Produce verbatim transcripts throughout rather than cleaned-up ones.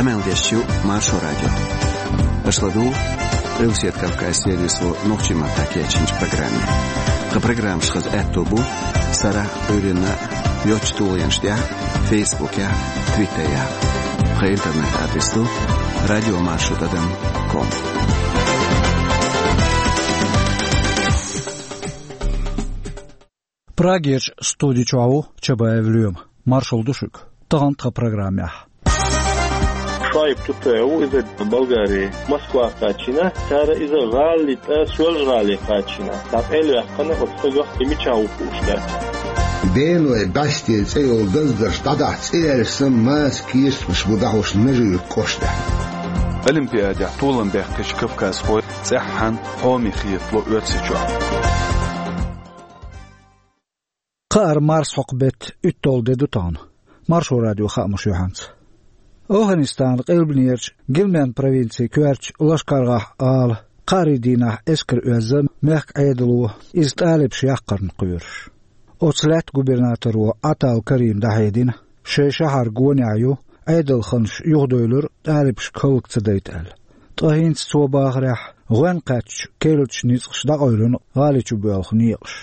Къамел деш ю Маршо радио. Аша ладугӀу Къилбаседа Кавказан сервисо нохчийн маттахь кечйинчу программе. Тхан программаш хаза аьтто бу сарахь а, Ӏуьйранна а йоцачу тулгӀенаш тӀехь а, Фейсбукехь а, Твиттерехь а. Тхан интернет-адрес ду радиомаршо тӀадам ком. Прагерчу студи чохь ву Чабаев Лоьма. Маршалла ду шуьга. Тахана тхан программехь. Шоайб Тутаев ву иза Болгари, Москва кхачийна, цара иза гӀалин тӀе, Соьлжа-ГӀале кхачийна. ДӀакъевлаваьккхина оцу стагах и мичахь ву хууш дац. Беной бӀаьсте цӀе йолу даздарш дӀадахьа цӀе яьлча санна, маца кийсамаш бу дӀахьош Нажи-Юьртан кӀоштахь. Олимпиадехь толам баьккхича кавказхой цӀеххьана хьоме хетало Оьрсийчохь. Кхаара марсхьокху беттан уьтталгӀа де ду тахана. Маршо радион хаамаш юьхьанца. ОвхӀанистанан къилбанерчу Гилман провинцин коьртачу Лашкар-ГӀалахь кхаарийн дийнахь эскар оьзна мехкан Ӏедало, иза тӀалибаша яккхарна кхоьруш. Оцу лаьттан губернаторо Ӏатал Карима дӀахьедина, шайн шахьар гонехь ю, Ӏедалханаш юхадевлира, тӀалибашка хӀаллак ца дайта аьлла. Ткъа хӀинца цо бахарехь, гӀоьнна кхаьчначу керлачу ницкъаша дӀакъевлина гӀали чу боьлху некъаш.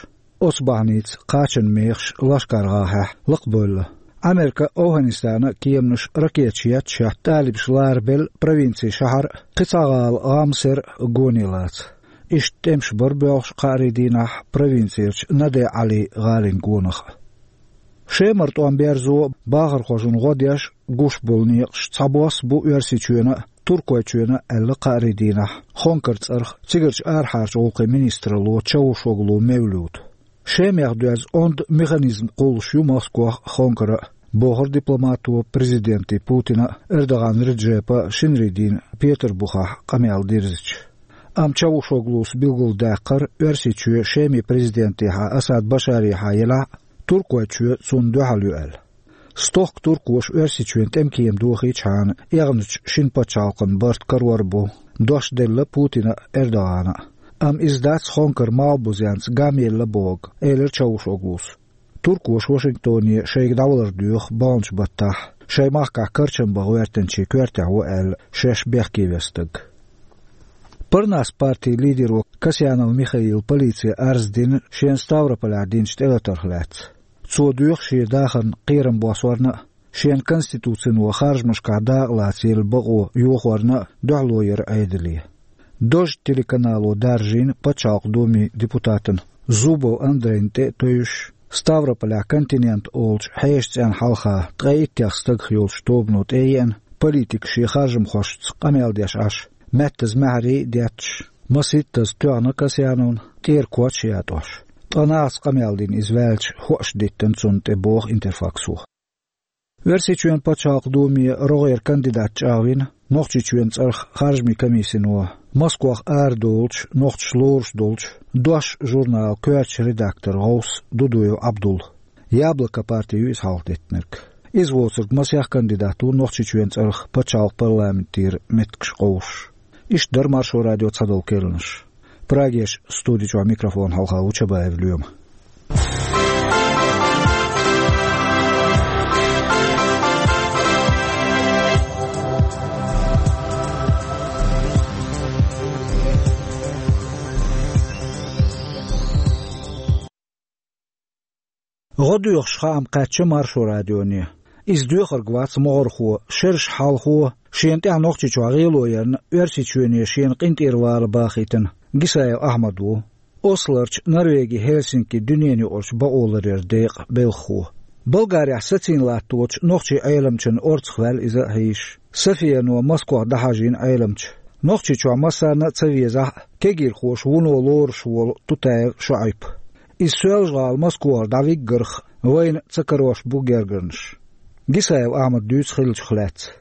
Оцу бахьаница кхачанан мехаш Лашкар-ГӀалахь лакхабевлла. Ӏамеркан а, ОвхӀанистанан а кеманаша ракеташ етташ-етташ, тӀалибаш ларабелла провинцин шахьар а, кхин цхьа гӀала ГӀамсер а гоне лаца. Иштта тӀемаш бара боьлхуш кхаарийн дийнахь провинцерчу Надегь-Ӏали гӀалин гонах а. Шемара тӀом берзо, бахархошна гӀо деш гуш болу некъаш цхьабосса бу Оьрсийчоьнан а, Туркойчоьнан а, аьлла кхаарийн дийнахь Хонкар цӀарах цигарчу арахьарчу гӀуллакхийн министралло Чавушоглу Мевлюта. Шемех доьзна онда механизм кхуллуш ю Москох а, Хонкара а, бохура дипломато президентийн Путинан а, Эрдоган Реджепан а шинарийн дийнахь Петарбухехь къамел дирзича. Амма Чавушоглус билгалдаьккхира, Оьрсийчоь Шеман президентехьа Асад Башарехьа елахь а, Туркойчоь цунна дуьхьал ю аьлла. Стохка туркоша Оьрсийчоьнан тӀемкема дохийчхьана, эгӀначу шина пачхьалкхан барт карор а бу, дош делла Путина а, Эрдогана а. Амма иза дац Хонкара малхбузенца гамъелла бохург, элира Чавушоглус. Туркоша Вашингтоне шайга дӀавалар доьху баханчу баттахь, шайн махкахь карчам бан гӀоьртинчийн коьртехь ву аьлла шаьш бехке веш стаг. Парнас партин лидеро Касьянов Михаила полице арз дина шена Ставрополехь динчу тӀелатарх лаьцна. Цо доьху шен дахарна кхерам боссорна а, шена конституцино харжамашкахь дакъа лаца елла бакъо йохорна а дуьхьало яр Ӏедале. Дождь телеканало даржийна Пачхьалкхан Думин депутатана Зубов Андрейна тӀе а тевжаш, Ставрополехь «Континент» олучу хьешан цӀенна хьалха ткъе иттех стагах йолчу тобано тӀееана, политика шен харжамхошца къамел деш Ӏаш, маьттаза маьхьарий а детташ, масийттаза тоьхна Касьяновна, тӀера коч а ятӀош. Ткъа нахаца къамел дина иза ваьлча, хӀоаш диттина цунна тӀе, боху Интерфаксо. Оьрсийчоьнан Пачхьалкхан Думе рогӀера кандидат чӀагӀвина Нохчийчоьнан цӀарах харжамийн комиссино, Москвах арадолучу, нохчаша лоруш долчу «Дош» журналан коьртачу редакторан гӀовс Дудуев Ӏабдулла. «Яблоко» парти ю иза хьалхадеттинарг. Иза воцург масех кандидат ву Нохчийчоьнан цӀарах пачхьалкхан парламентера меттигаш къовсуш. Иштта дара Маршо радион цхьадолу керланаш. Прагерчу студи чохь микрофон хьалха ву Чабаев Лоьма. ГӀо доьхуш хаам кхаьчна Маршо радионе. Иза доьхург вац могӀархо, шераш хьалхо, шена тӀехь Нохчийчохь гӀело ярна, Оьрсийчоьне шена къинтӀера вала бахийтина Гисаев Ахьмад ву. Ослорчу Норвегин Хельсинкин дуьненаюкъарчу бакъоларъяран декъан белхахо. Болгарехь сацийна латточу нохчийн Ӏеламчунна орцах ваьлла иза а хьийзаш. Софияно Москвах дӀахьажийна Ӏеламча. Нохчийчохь массарна а ца везахь а, кегийрхоша вуно лоруш волу Тутаев ШоӀайп. Иза Соьлжа-ГӀала Москвара дӀавиггарх вайна ца карош бу гергарнаш. Гисаев Ахьмада дуьйцу хиллачух лаьцна.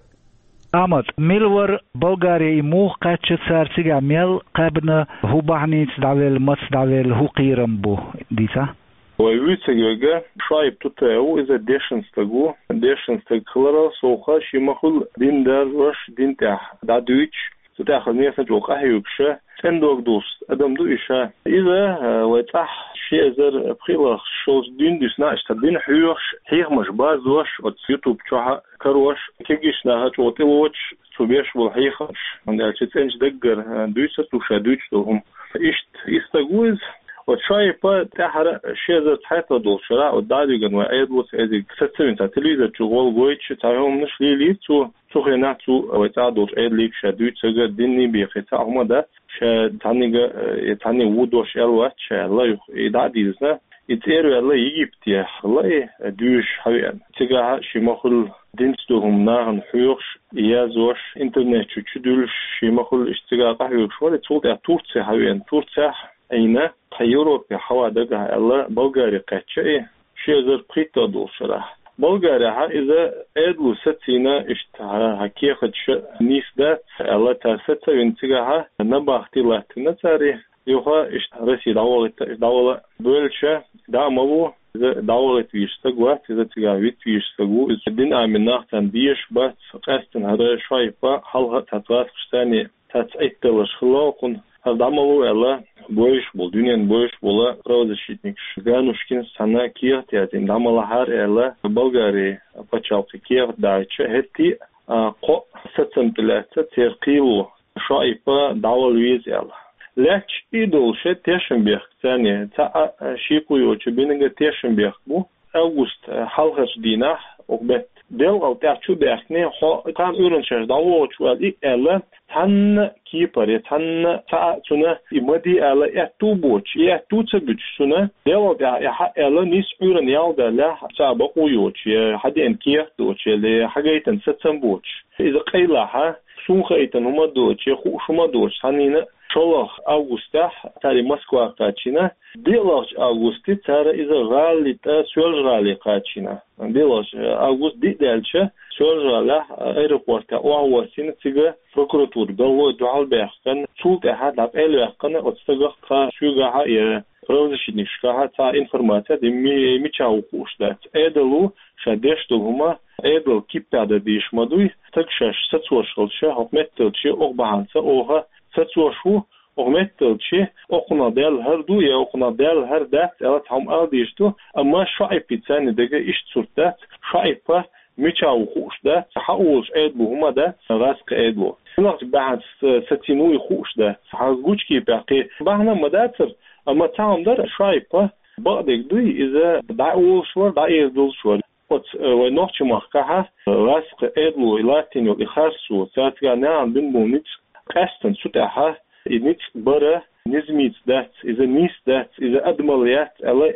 Ахьмад, мила вара Болгаре, и муха кхаьчна, цара цигахь мел кхаьбна, хӀун бахьаница дӀавелла, маца дӀавелла, хӀун кхерам бу, дийцахь? Вай вуьйцург верг ШоӀайп Тутаев ву, иза дешна стаг ву. Дешна стаг хиларал совнаха, шен ма-хуьллу дин даржош, дин тӀехь дӀадуьйцуш, Цу тӀехьа несан чӀогӀа къахьоьгуш, цӀена дог долуш адам ду и ша. Иза, а, вай цӀахь ши эзар пхи а лахаш шолчу дуьйна дуьсна а, иштта дин хьоьхуш, хьехамаш базош, оцу YouTube чохь а карош, кегийчу наха чӀогӀа тӀелоцуш, цо беш болу хьехамаш, хӀунда аьлча цӀеначу даггара, а, дуьйцур ду ша дуьйцуш долу хӀума. Иштта, и стаг ву иза. Оцу Шаипа тӀаьххьара ши эзар цхьайтталгӀа долчу шарахь, оцу дӀа а дуьгана вай Ӏедало, цу Ӏедига сацавина цхьа телевизор чу гӀолгойтуш, цхьа хӀуманаш лелийра цо, цу хенахь цо вай цӀа долчу Ӏедалига ша дуьйцург а, динний бен цхьа а хӀума дац, ша цхьаннега, э, цхьанне ву дош аьлла вац ша аьлла, юха и дӀа а дийзина, и цӀера ваьлла Египте, ла и дуьйш хьавеана. Цигахь шен ма-хуьллу динца долу хӀума нахана хьоьхуш, язъеш, интернет чу чудуьллуш, шен ма-хуьллу иштта цигахь къахьоьгуш вара, цул тӀаьхьа Турце хьавеана. Турцехь Ӏийна, тхан Европе хьава дагахь аьлла, Болгари кхаьчча и, ши эзар пхийтталгӀа долчу шарахь. Болгарехь иза Ӏедало сацийна, иштта хьан, хьан кехаташ нийса дац аьлла, цара сацавина цигахь набахти латтийна цара, юха иштта Россия дӀавахийта, иштта дӀавала бевлча, дӀа а ма ву, иза дӀавахийта везаш стаг вац, иза цигахь вита везаш стаг ву, иза дин Ӏамийна нах царна безаш бац, къаьсттина хӀара Шаипа хьалха а цхьацца гӀазкхашца царна цхьацца Ӏитталарш хилла кхунна, хӀара дӀа ма ву аьлла, бовзуш болу, дуьненна бовзуш болу правозащитникаш Ганушкинс цхьана кехат яздина, дӀа ма лахьара аьлла, Болгарин пачхьалкхе кехат дахьийтча, хӀетте а кхоъ сацам тӀе лаьцна церан кхело, Шаипа дӀавала веза аьлла. Лаьтташ и долуш тешнабехк царна, цхьа а шеко йоцуш бинарг тешнабехк бу. Август хьалхарчу дийнахь, оха бетта делкъал тӀаьхьа чу а баьхкина, хьо кхана Ӏуьйранна шаьш дӀавогӀуш ваьлла и аьлла, цхьанна кепара, цхьанна цхьа а цунна и ма де аьлла аьтту а боцуш, и аьтту ца буьтуш цунна, делкъал тӀаьхьа и хьа аьлла, нийсса Ӏуьйранна ял даллехь, цхьа а бакъо йоцуш, я хьан деана кехат доцуш, я хьан гайтина сацам боцуш. Иза къайлахь, суна хаийтина хӀума доцуш, я хууш хӀума доцуш, цхьанна шолгӀа августехь цара Москва кхачийна, диълагӀчу августе цара иза гӀалин тӀе Соьлжа-ГӀале кхачийна. ДиълагӀчу август диъ даьлча, Соьлжа-ГӀалехь аэропортехь охьавоссийна, цига прокуратура, ГӀалгӀай дуьхьал баьхкина, цул тӀаьхьа дӀакъайлаваьккхина оцу стагах, тхан соьгахь а я правозащитникашкахь а цхьа информаци а ди, ми-, мичахь ву хууш дац. Ӏедало ша деш долу хӀума Ӏедалан киппехь дан дезаш ма дуй, стаг шаьш сацош хилча, хӀокху метталче оха бахьанца оха сацош ву, оха метталче, окхунах даьлла хӀара ду, я окхунах даьлла хӀара дац аьлла цхьа хӀума ала дезаш ду, амма Шаипа царна дага иштта сурт дац, Шаипа мичахь ву хууш дац, хьан олуш Ӏедало хӀума дац, гӀазкхи Ӏедало. Хьанах бахьанца сацийна ву и хууш дац, хьан гучу кепехь кхин бахьана а ма дацара, амма цхьа хӀума дара, Шаипа бакъдерг дуй, иза дӀа а олуш вара, дӀа а эр долуш вара. Оцу, э, вай нохчийн махкахь а, э, гӀазкхи Ӏедало и латтийна йолу и харцо, цара цигахь нахана бина болу ницкъ, къаьсттина цу тӀехь а и ницкъ бара низамца дац, иза нийса дац, иза адамалла яц аьлла,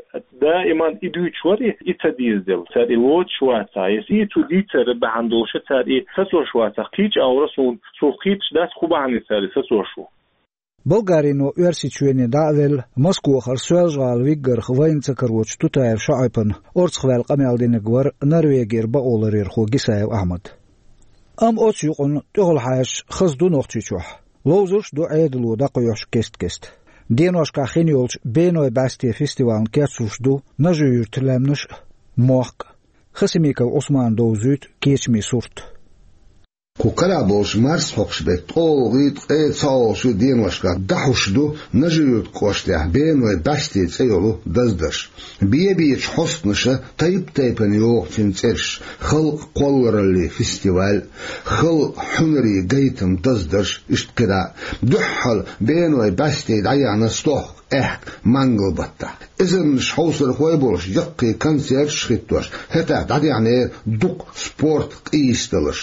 даиман и дуьйцуш вара и, и ца дезаделла. Цара и лоцуш вацахь, я и цо дийцар бахьана долуш цара и сацош вацахь, кхечу агӀора суна, сух кхеташ дац, хӀун бахьана цара и сацош ву. Болгарино Оьрсийчоьне дӀа а велла, Москвахара Соьлжа-ГӀала виггарх вайна ца карочу Тутаев Шаипана орцахваьлла къамел динарг вара Норвегера бакъоларъярхо Гисаев Ахьмад. Амма оцу юкъанна тӀехула хьаьжча хаза ду Нохчийчохь. Ловзуш а ду Ӏедало дӀакхоьхьуш кест-кеста. Деношкахь хин йолчу Беной бӀаьсте фестивална кечлуш ду Нажи-Юьртан лаьмнаш а, мохк а. Хасимиков Ӏусмана довзуьйту кечамийн сурт. Кху карахь болчу марсхьокхуш беттан ткъолгӀий, ткъе цхьалгӀачу деношкахь дӀахьуш ду Нажи-Юьртан кӀоштахь Беной бӀаьсте цӀе йолу даздарш. Бе-бечу хьостанаша тайп-тайпана йоху цуьнан цӀераш: халкъан кхоллараллин фестиваль, халкъан хьуьнарийн гайтам даздарш, иштта кхидӀа а. Дуьххьал Беной бӀаьсте дӀаяьхьна стохка, аьхка, мангал баттахь. Эзарнаш хьовсархой болуш, яккхий концерташ а хӀиттош, хӀетахь дӀадаьхьнера дукха спорт къийсадаларш.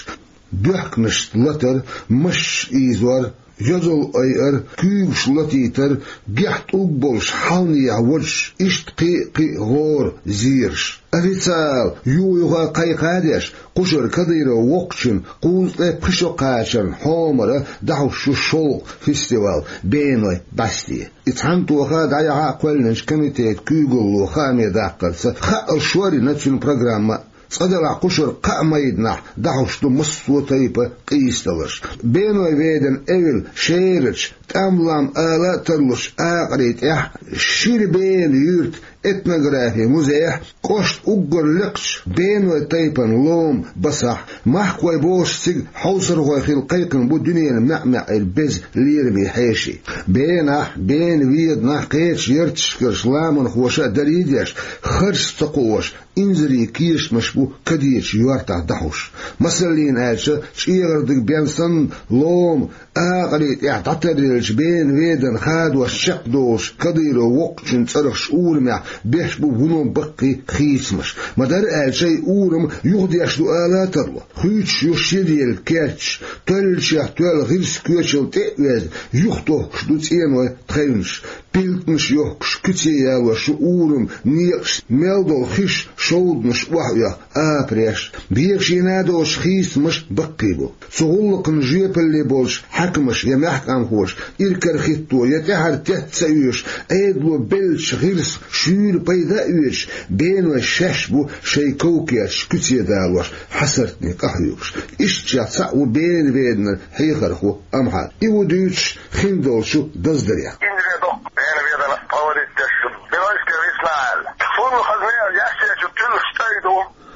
Доьхканашца латар, машанаш ийзор, йозалла айар, куьйгаш латийтар, гехь тӀулг болуш хьалханехьа водаш, иштта кхин а, кхин а гӀора зераш. Официал юха-юха кхайкха а деш, кхушара Кадыров воккхачун кхузткъе пхи шо кхачарна хьомара дӀахьуш ю шолгӀа фестиваль Беной бӀаьсте. И цхьана тоха дӀаяхьа а кхоьллинчу комитетан куьйгалло хааме даккхарца, хаалуш вара и нацуьнан программа. Цкъа делахь кхушара кхаа майданахь дӀахьуш ду массо а тайпа къийсадаларш. Беной ведана эвла шерачу, тӀам-лам ала а тарлучу акъарийн тӀехь Шира Бена юьртан этнографин музейхь кӀошта уггар лекхача беной тайпан лома басахь, махкой бохуш цига хьовсархой хила кхайкхина бу дуьненан маьӀ-маьӀӀера беза лераме хьеший. Бенахь, бена веданахь кхечу ярташкарчу ламанхоша а дарий деш, харц ца кхоош, инзаре кешамаш бу кадечу йортахь дӀахьуш. Масаллина аьлча, чӀегӀардиг бен санна, лома акъарий тӀехь дӀатаръеллачу бена веданна хадош чекхдолуш Кадыров воккхачун цӀарах ши урамехь беш бу вуно баккхий хийцамаш. Ма-дарра аьлча, и урам юхадеш ду ала а тарло. Хуьйцуш ю шира елла керташ, тоьллачех тоьлла гӀирс коьчалла тӀе а везна, юхатохкуш ду цӀеной тхевнаш. Пилтанаш йохкуш, куьце ялош ю урам некъаш, мел долу хиш, шовданаш охьаоьху апареш. Бегашийна а доцуш хийцамаш баккхий бу. Цу гӀуллакхна жоьпалле болчу хьаькамаша я маьхкамхоша иракарахӀитто, я тӀаьхьара тетта ца оьшуш, Ӏедало беллачу гӀирсах шуьйра пайда а оьцуш, беной шаьш бу шайн ков-керташ куьце далош, хьасартне къахьоьгуш. Ишттачех цхьаъ ву бена веданан хьехархо Амхьат. И ву дуьйцуш хиндолчу даздарех. Индре доккху бена веданах проводить деш ю. Бенойская весна аьлла. Цунна хазна яьссечу туьллуш тӀай ду.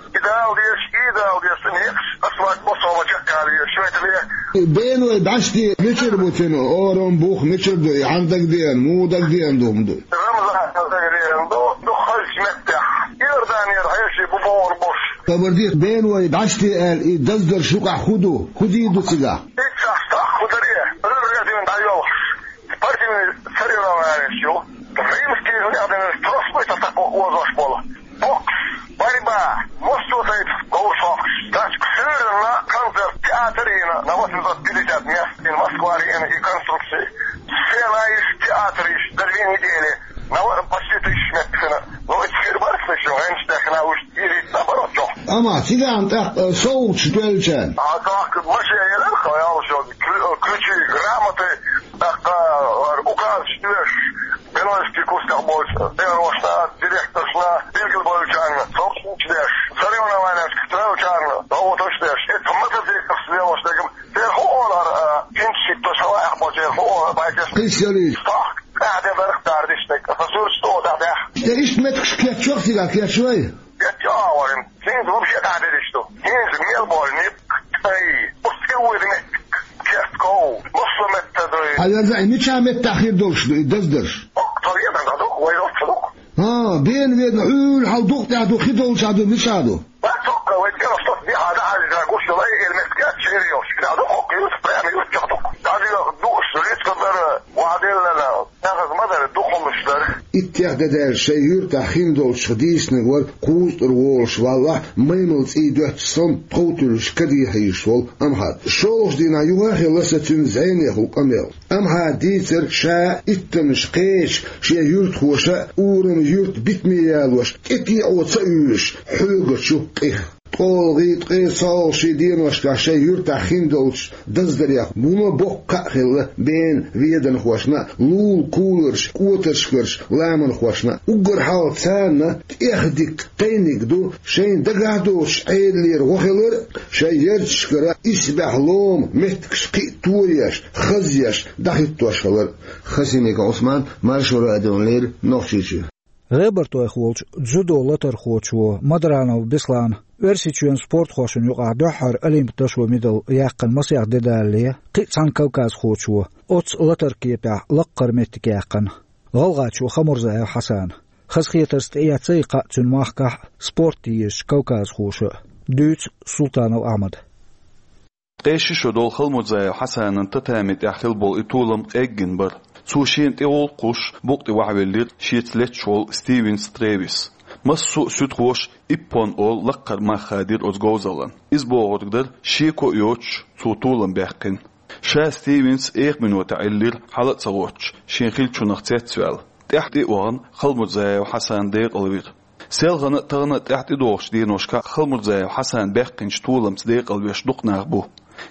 И дала дезаш, и дала дезаш, цу некъаш асфальт бо сома чеккхалийра, шуьйтале. Беной баьшти мичара бу цуьнан, орам бух мичара ду, и хьан дагадеана, муха дагадеана ду хӀума ду? Рамзан дагадеана ду, ду хазачу меттехь. Иорданера хьеший бу бохур болуш. Хабар дийца, беной баьшти аьлла, и даздарш юкъахь хӀун ду? ХӀун дийр ду цигахь? Иццахь стохка хӀун даре? Ӏуьйрре дуьйна дӀайоьлхуш. Спортивный соревнованеш ю. Римский гӀуллакх дина трос вуй сан такъо озош болу. Бокс, борьба, массо а тайпа говраш хьокхуш. Дачка суьйранна концерт, театр йина на восемьсот пятьдесят мест, и Москва-арена, и конструкции. Сцена йиш, театр йиш, за две недели. На во-, почти тысяча мест йина. Ну, эцхир барх шу, гӀенчу тӀехь хина уьш. Ирит наоборот чохь. Амма цигахь тӀаккха, э, совгӀаташ доьллачарна? А так, машен елар хьо, ялшо, ключи, грамоты, тӀаккха, э, указаш деш, Бенойский курсах болчу, тренершна, директоршна, билгал болчарна, совгӀаташ деш, соревнованешка тӀе йолчарна, совгӀаташ деш. Это мотоциклах сделал, что церан хӀун олар, э, хӀинца шийтта шалаях бо церан хӀун олар, байтеш. Кхин сели. Стохка, тӀаьхьа де дарх дардиш, тӀе, со суьрташ тӀе дахь. Иштта меттигаш кеччо а цигахь кечвай? Кеччо а варим. ХӀинца вообще дӀадерриш ду. ХӀинца мел болу некъ, тӀай, оцу тӀе вуьйр меттиг, кертков, массо а метта дуй. Хьан верза, и мичахь меттахь хир долуш ду и даздарш? Оккха ведан ду, вай оццу ду. ХӀа, бена ведан Ӏуьйра хьал дукха тӀехь ду, хи долчахь ду, мичахь ду? Бац оккха, вай тӀе оцу дехьа дӀахьаьжча гуш йолу, эр меттиг яц, шера йолуш. Ша ду хӀокху юрт, прямо юрт чохь ду. Даже душ, рицкъа дара, ваделлана. Нахаца ма дара, дукхаллаш дара. Иттех де даьлча шайн юьртахь хин долчух дийцинарг вара кхузткъара волуш валлахь, маймал цӀий доьттуш санна, тхов туьллуш кадехьийзаш волу Амхьат. ШолгӀачу дийнахь юха а хилла сан цуьнан зӀенехула къамел. Амхьата дийцира ша иттаннаш кхеча шен юьртахоша а, урам юьрт битаме ялош, тӀетеӀо ца уьйраш, хьоьгучу къих. ТкъолгӀий, ткъе цхьалгӀий деношкахь шайн юьртахь хин долчу даздарех вуно боккха кхаъ хилла бена веданхошна а, лулахь куларчу кӀотаршкарчу ламанхошна а. Уггар хьалха царна тӀех дика кхайниг ду шайна дагахь доцучу Ӏедалера гӀо хилар а, шайн ярташкара исбаьхьа лома меттигаш кхин а тоеш, хазъеш, дӀахӀиттош хилар а. Хасимиков Ӏусман, Маршо радиона леррина, Нохчийчоь. ГӀебартойх волчу дзюдо латархочо Мадранов Беслана Оьрсийчоьнан спортхошна юкъахь дуьххьара олимпан дашо медаль яьккхина масех де далале, кхин а цхьана кавказхочо оццу латаран кепехь лаккхара меттиг яьккхина, гӀалгӀачо Хамурзаев Хьасана. Хазахетарца тӀеэцна и кхаъ цуьнан махкахь а, спорт езачу кавказхоша а, дуьйцу Султанов Ахьмада. Ткъе ши шо долу Халмурзаев Хьасанан татами тӀехь хилла болу и толам къеггина бара. Цо шена тӀе гӀуллакх кхуссуш, букъ тӀе вахьавеллера шеца летташ волу Стивенс Тревис. Массо а суьдхоша иппон олу лаккхара мах хадийра оцу говзаллина. Иза бохург дара, шеко а йоцуш, цо толам баьккхина. Ша Стивенс эха минотехь Ӏиллира, хьала а ца гӀоттуш, шен хиллачунах цецваьлла. ТӀаьхьа тӀе а вахана, Халмурзаев Хьасан декъалвира. Селхана а, тахана а тӀаьхьа тӀедогӀучу деношкахь Халмурзаев Хьасан баьккхинчу толамца декъалвеш дукха нах бу.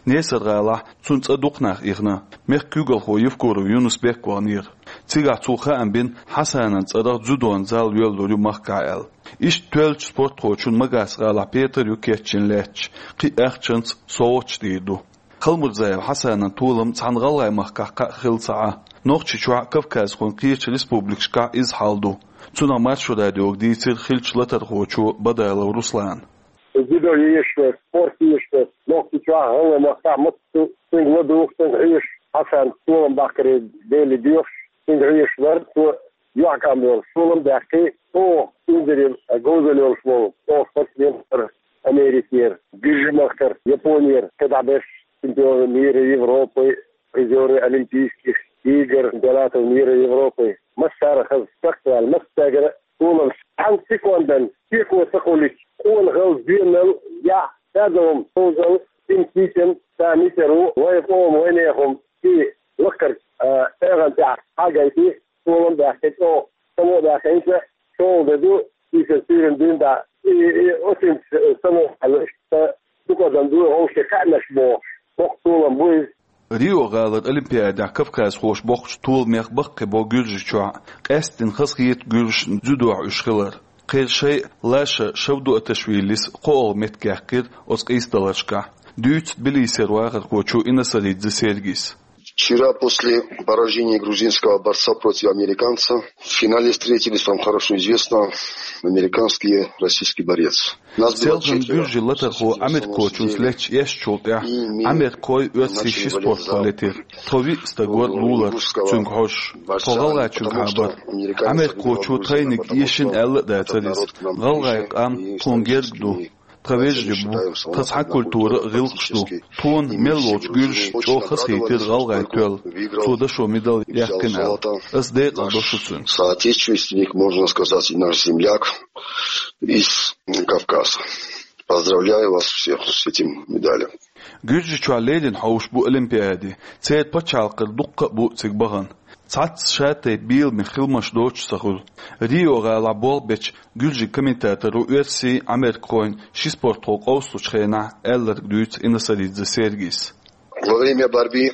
Несар-гӀалахь цунна цӀа дукха нах ихна, мехкан куьйгалхо Евкуров Юнус-Бек ваханера. Цигахь цо хаам бина, Хьасанан цӀарах дзюдон зал йоьллур ю махкахь аьлла. Иштта тоьллачу спортхочун Магас-гӀалахь петар ю кечйина лаьтташ, кхин а ахчанца совгӀаташ дийр ду. Халмурзаев Хьасанан толам цхьана ГӀалгӀай махкахь кхаъ хилла ца Ӏа, Нохчийчохь а, Кавказхойн кхечу республикашкахь а иза хьал ду. Цунах Маршо радиога дийцира хиллачу латархочо Бадалов Руслана. Дзюдо езаш вара, спорт езаш вара, Нохчийчохь, гӀалгӀай махкахь массо а цуьнга ладугӀу, цуьнга хьоьжуш, Хьасан толам баккхаре Деле доьхуш, цуьнга хьоьжуш вара, цо юьхькӀам йолуш толам а баьккхи, оха инзаре говзалла йолуш волу, оха спортсмен вара Америкера, Гуьржийн махкара, Японера, кхидӀа берш чемпионы мира, Европы, призеры Олимпийских игр, чемпионатов мира, Европы. Массара хаза сакхваьлла, массаьргара толам. Цхьана секундан стекло ца хуьлуьйтуш, къонахалла, доьналла, яхь, садовма, хӀузал, синтетикан, цхьа митар ву, вай къоман, вай нехан и лакхара, а, эгӀан тӀехь хьагайти, толам а баьккхи, чӀогӀа само а баьккхинча, чӀогӀа де ду, иза суьйранна дуьйна дӀа, и, и, оцинца само а луш, сан дукха адам ду, вовшийн кхаьънаш бохуш, боккха толам бу иза. Рио-гӀалара Олимпиадехь кавказхоша боккхучу толамех баккхий бо Гуьржийчохь, къаьсттина хазахета гуьржашна дзюдохь уьш хилар. Кхеран шайъа Лаша Шавдуаташвилис кхоалгӀа меттиг яьккхира оцу къийсадаларшкахь. Дуьйцу Тбилисера вахархочо Инасаридзе Сергис. Вчера после поражения грузинского борца против американца в финале встретились, вам хорошо известно, американский и российский борец. Селхана гуьржийн латархо Ӏамеркхочуьнца леттачу эшначул тӀаьхьа Ӏамеркхой оьрсийн ши спортхо летира. Тхо виъ стаг вара лулара цуьнга хьожуш. Тхо гӀалгӀайчуьнга хьабара. Ӏамеркхочо тхайниг эшина аьлла а дацара иза. ГӀалгӀайн къам тхуна герга ду. Тхан вежарий бу, тхан цхьаьна культура а, гӀиллакхаш ду. Тхуна мел волчу гуьржашна чӀогӀа хазахийтира гӀалгӀайн тоьлла. Цо дашо медаль яьккхина аьлла. Ас декъала до шу цуьнан. Соотечественник, можно сказать, и наш земляк из Кавказа. Поздравляю вас всех с этим медалем. Гуьржийчохь леррина хьовш бу Олимпиади, церан пачхьалкхера дуккха а бу цига бахана. Цхьацца шатайпа беламех хиламаш доцуш ца хуьлу. Рио-гӀалахь болх бечу гуьржийн комментаторо оьрсийн, Ӏамеркхойн ши спортхо къовсалучу хенахь аьлларг дуьйцу Инасаридзе Сергис. Во время борьбы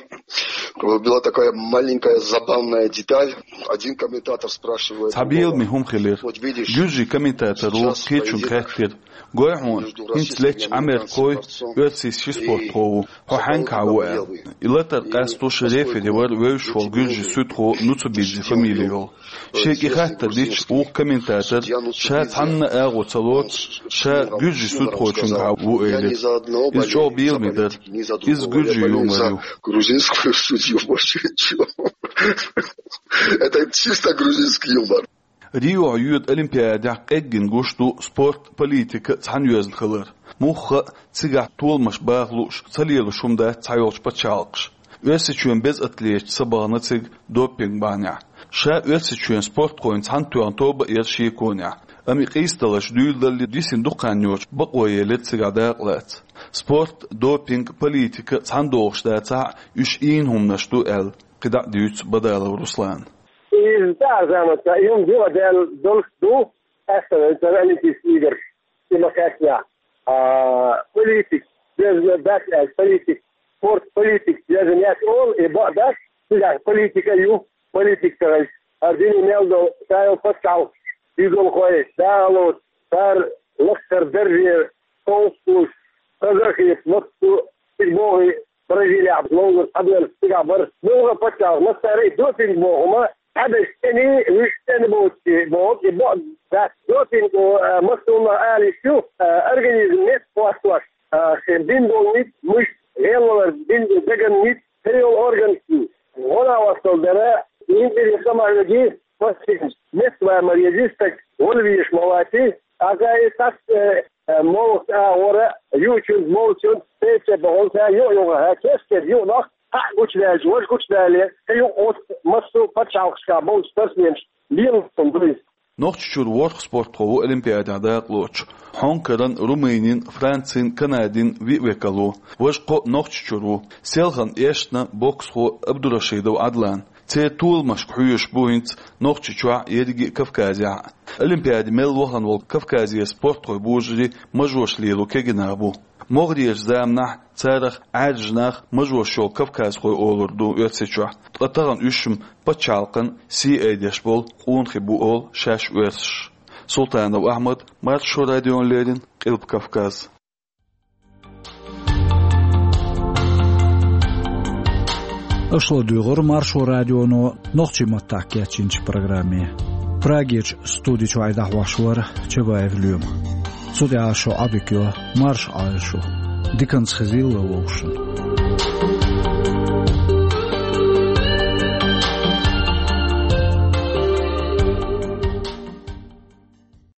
была такая маленькая забавная деталь. Один комментатор спрашивает у Цхьа беламе хӀума хилира. Гуьржийн комментаторо кхечуьнга хаьттира: «Гой хьуна, хӀинца леттачу Ӏамеркхой оьрсийн ши спортхо ву, хьо хьаьнгахьа ву?» аьлла. И латар къастош рефери вара вевзаш волу гуьржийн суьдхо Нуцубидзе фамили йолу. Шега и хаттар дича, вукху комментатор, ша цхьанна а агӀо ца лоцуш, ша гуьржийн суьдхочуьнгахьа ву элира. Иза чӀогӀа беламе дара. Иза гуьржийн юмор ю. Грузинскую судью больше ничего. Это чисто грузинский юмор. Рио йоьду Олимпиадехь къеггина гуш ду спорт, политика цхьаьна йоьзна хилар. Мухха а, цигахь толамаш баха лууш, ца лелош хӀума дац цхьайолчу пачхьалкхаша. Оьрсийчоьнан беза атлеташ ца бахана цига допинг бахьанехь. Ша Оьрсийчоьнан спортхойн цхьаьна тоьхна тоба а яра шеконехь. Амма и къийсадаларш дуьйладалле, дисина дукха хан йоцуш бакъо елира цигахь дакъалаца. Спорт, допинг, политика цхьаьна догӀуш дацахь а, уьш ийна хӀуманаш ду аьлла, кхидӀа а дуьйцу Бадалов Руслана. Иза цхьа а заманца, и хӀума юха а даьлла долуш ду, аьлла, цара олимпийский играш, и ма-хаьттинехь. А, политик, деза дац аьлла, политик, спорт, политик, деза неш олу, и бакъ дац, цигахь политика ю, политик ца хилча. ХӀара дуьне мел долу, ша йолу пачхьалкхаш, идолхой, дагӀалоцу, цара лакхара дарже совцуш, хазахеташ, массо а, цига богӀий, Бразилехь, Лондонехь, цхьаберш цигахь бара. Муьлхха пачхьалкх, массара а допинг боху хӀума, цхьаберш цӀена, вуьш цӀена боцуш боху, и бакъ дац. Допинг, о, а, массо а ала йиш ю, а, организм меттах хӀоттош, а, шен бина болу ницкъ, мышц, гӀелвалар бина, деган ницкъ, тӀе йолу органаш ю. ГӀо а вастал дара, интерес ма веги, пассивность, меттах ван ма вези, стаг вала везаш ма вац и, ткъа и сас, э, Э, молхаш агӀора, юучуьнца, молчуьнца, церан бахьана ша юкъа-юкъахь, кест-кеста юкъанах, хьаъ гучудаьлча, важа гучудале, кхин юкъа оцу массо а пачхьалкхашкахь болчу спортсменаш лелаш ду иза. Нохчийчуьра ворхӀ спортхо ву Олимпиадехь дакъалоцуш. Хьонкаран, Румынин, Францин, Канадин виъ векал ву. Важа кхоъ Нохчийчуьра ву. Селхана эшна боксхо Абдурашидов Ӏадлан. Церан толамашка хьоьжуш бу хӀинца Нохчийчохь а, ерриге а Кавказехь а. Олимпиаде мел вахана волу Кавказера спортхой божарий мажош лело кегийнах бу. МогӀарерчу заманахь царах Ӏаьржа нах мажош йолу кавказхой олур ду Оьрсийчохь, ткъа тахана уьш-м пачхьалкхан сий айдеш болу къонахий бу олу шаьш оьрсаша. Султанов Ахьмад, Маршо радиона леррина, Къилба Кавказ. Аша ладуьйгӀура Маршо радионо нохчийн маттахь кечйинчу программе. Прагерчу студи чуьра дӀахьош вара Чабаев Лоьма. Цу тӀехь шун Ӏодика йо, марша Ӏойла шу. Диканца хезийла вовшашна.